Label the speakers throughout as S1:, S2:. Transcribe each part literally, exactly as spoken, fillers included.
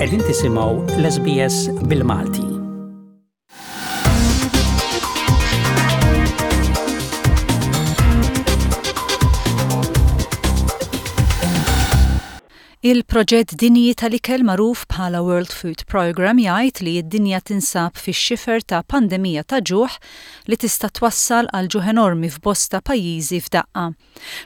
S1: Qegħdin tisimgħu l-SBS bil-Malti.
S2: Il-proġett dinji tal-ikel magħruf bħala World Food Programme jgħid li d-dinja tinsab fix-xifer ta' pandemija ta' ġuħ li tista' twassal għal ġuħ enormi f'bosta pajjiżi f'daqqa.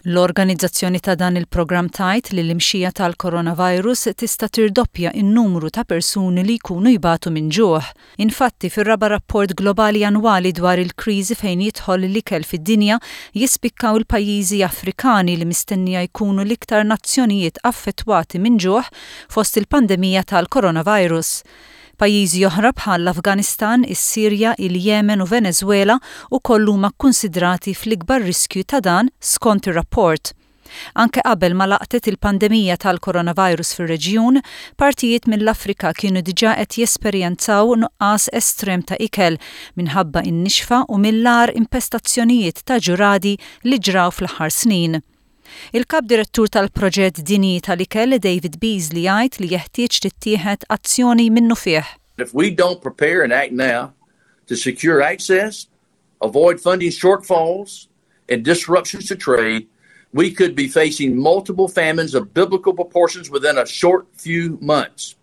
S2: L-organizzazzjoni ta' dan il-programm tgħid li l-imxija tal-coronavirus tista' tirdoppja n-numru ta' persuni li jkunu jbatu minn ġuħ. Infatti, fir-raba' rapport globali annwali dwar il-kriżi fejn jidħol l-ikel fid-dinja jispikkaw il-pajjiżi Afrikani li mistennija jkunu l-iktar nazzjonijiet affettwati minn ġuħ fost il-pandemija tal-coronavirus. Pajjiżi oħra bħal l-Afganistan, is-Sirja, il-Yemen u Venezuela ukoll huma kkunsidrati fl-ikbar riskju ta' dan skont ir-rapport. Anke qabel ma laqtet il-pandemija tal-coronavirus fir-reġjun, partijiet mill-Afrika kienu diġà qed jesperjenzaw nuqqas estrem ta' ikel minħabba in-nixfa u mill-agħar impestazzjonijiet ta' ġuradi li ġraw fl-aħħar snin. Il-kap direttur tal-proġett dinji tal-ikel David Beasley jgħid li jeħtieġ tittieħed azzjoni minnufih.
S3: If we don't prepare and act now to secure access, avoid funding shortfalls and disruptions to trade, we could be facing multiple famines of biblical proportions within a short few months.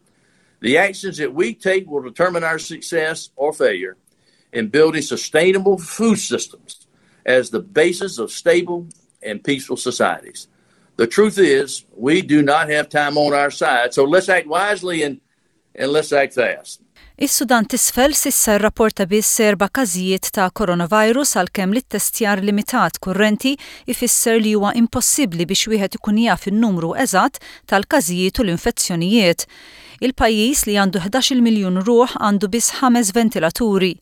S3: The actions that we take will determine our success or failure in building sustainable food systems as the basis of stable and peaceful societies. The truth is, we do not have time on our side, so let's act wisely and, and let's act fast.
S2: Is-Sudan t'Isfel s'issa rrapporta biss erba' każijiet ta' coronavirus għalkemm l-ittestjar limitat kurrenti ifisser li huwa impossibbli biex wieħed ikun jaf in-numru eżatt tal-każijiet u l-infezzjonijiet. Il-pajjiż li għandu ħdax-il miljun ruħ għandu biss ħames ventilaturi.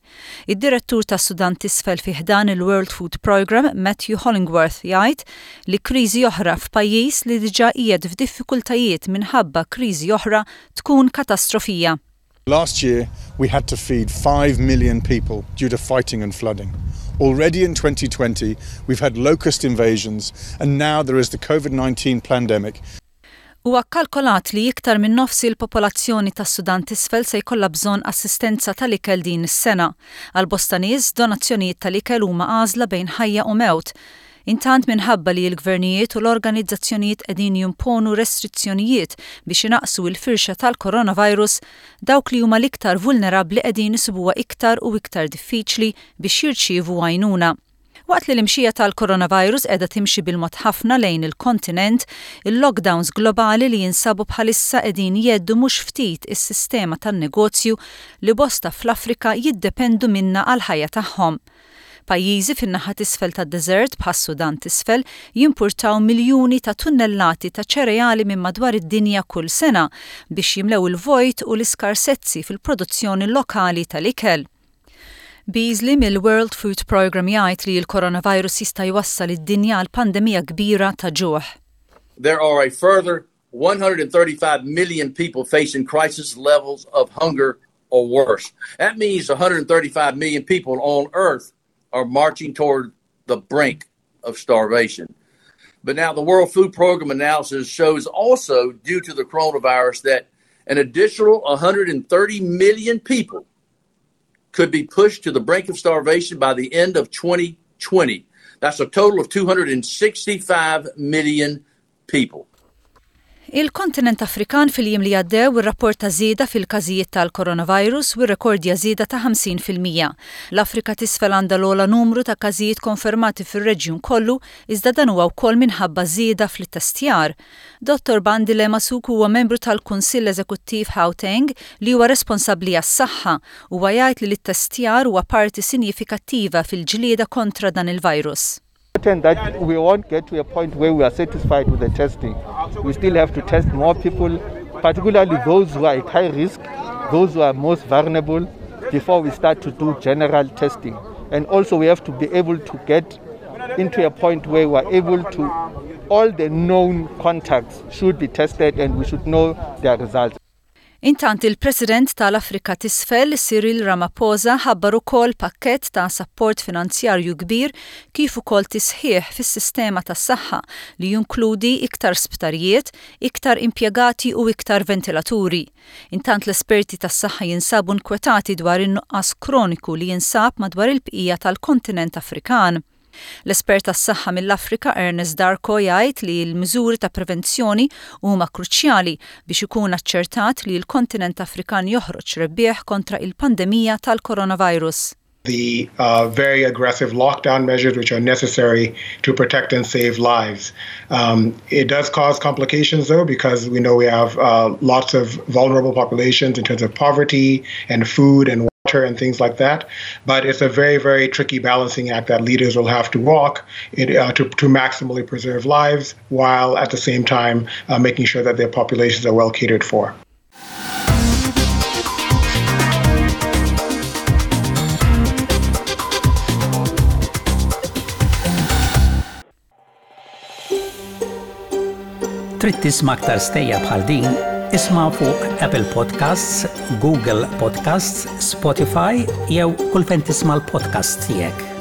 S2: Id-direttur tas-Sudan t'Isfel fi ħdan il-World Food Programme, Matthew Hollingworth, jgħid li kriżi oħra f'pajjiż li diġà qiegħed f'diffikultajiet minħabba kriżi oħra tkun katastrofija.
S4: Last year, we had to feed five million people due to fighting and flooding. Already in twenty twenty, we've had locust invasions, and now there is the COVID nineteen pandemic.
S2: Huwa kkalkolat li iktar minn nofs il-popolazzjoni tas-Sudan t'Isfel se jkollha bżonn assistenza tal-ikel din is-sena. Għal bosta nies, donazzjonijiet tal-ikel huma għażla bejn ħajja u mewt. Intant minħabba li l-gvernijiet u l-organizzazzjonijiet qegħdin jimponu restrizzjonijiet biex inaqsu l-firxa tal-coronavirus, dawk li huma l-iktar vulnerabbli qegħdin isibuha iktar u iktar diffiċli biex jirċievu għajnuna. Waqt li l-imxija tal-coronavirus qiegħda timxi bil-mod ħafna lejn il-kontinent, il-lockdowns globali li jinsabu bħalissa qegħdin jeddu mhux ftit is-sistema tan-negozju li bosta fl-Afrika jiddependu minna għal-ħajja tagħhom. Pajjiżi fin-naħa t'isfel tad-deżert bħas-Sudan t'Isfel jimpurtaw miljuni ta' tunnellati ta' ċereali minn madwar id-dinja kull sena biex jimlew il-vojt u l-iskarsezzi fil-produzzjoni lokali tal-ikel. Beasley mill-World Food Programme jgħid li l-coronavirus jista' jwassal id-dinja għal pandemija kbira ta' ġuħ.
S3: There are a further one hundred thirty-five million people facing crisis levels of hunger or worse. That means a hundred thirty-five million people on Earth are marching toward the brink of starvation. But now the World Food Program analysis shows also, due to the coronavirus, that an additional a hundred thirty million people could be pushed to the brink of starvation by the end of twenty twenty. That's a total of two hundred sixty-five million people.
S2: Il-kontinent Afrikan fil-jiem li għaddew irrapporta żieda fil-każijiet tal-coronavirus u rrekordja żieda ta' ħamsin fil-mija. L-Afrika t'Isfel għandha l-ogħla numru ta' każijiet konfermati fir-reġjun kollu, iżda dan huwa wkoll minħabba żieda fl-ittestjar. Dottor Bandile Masuku huwa membru tal-Kunsill Eżekuttiv Gauteng li huwa responsabbli għas-saħħa u jgħid li l-ittestjar huwa parti sinjifikattiva fil-ġlieda kontra dan il-virus.
S5: Certain that we won't get to a point where we are satisfied with the testing. We still have to test more people, particularly those who are at high risk, those who are most vulnerable, before we start to do general testing. And also we have to be able to get into a point where we are able to, all the known contacts should be tested and we should know their results.
S2: Intant il-President tal-Afrika t'Isfel, Cyril Ramaphosa, ħabbar ukoll pakkett ta' sapport finanzjarju kbir kif ukoll tisħiħ fis-sistema tas-saħħa li jinkludi iktar sptarijiet, iktar impjegati u iktar ventilaturi. Intant l-esperti tas-saħħa jinsabu nkwetati dwar in-nuqqas kroniku li jinsab madwar il-bqija tal-kontinent Afrikan. L-espert tas-saħħa mill-Afrika Ernest Darko jgħid li l-miżuri ta' prevenzjoni huma kruċjali biex ikun aċċertat li l-kontinent Afrikan joħroġ rebbieħ kontra il-pandemija tal-coronavirus.
S6: the uh, very aggressive lockdown measures which are necessary to protect and save lives. Um, it does cause complications, though, because we know we have uh, lots of vulnerable populations in terms of poverty and food and water and things like that. But it's a very, very tricky balancing act that leaders will have to walk in, uh, to, to maximally preserve lives while at the same time uh, making sure that their populations are well catered for.
S1: Trid tisma' aktar stejjer bħal din? Isma' fuq Apple Podcasts, Google Podcasts, Spotify jew kull fejn tisma' l-podcasts tiegħek.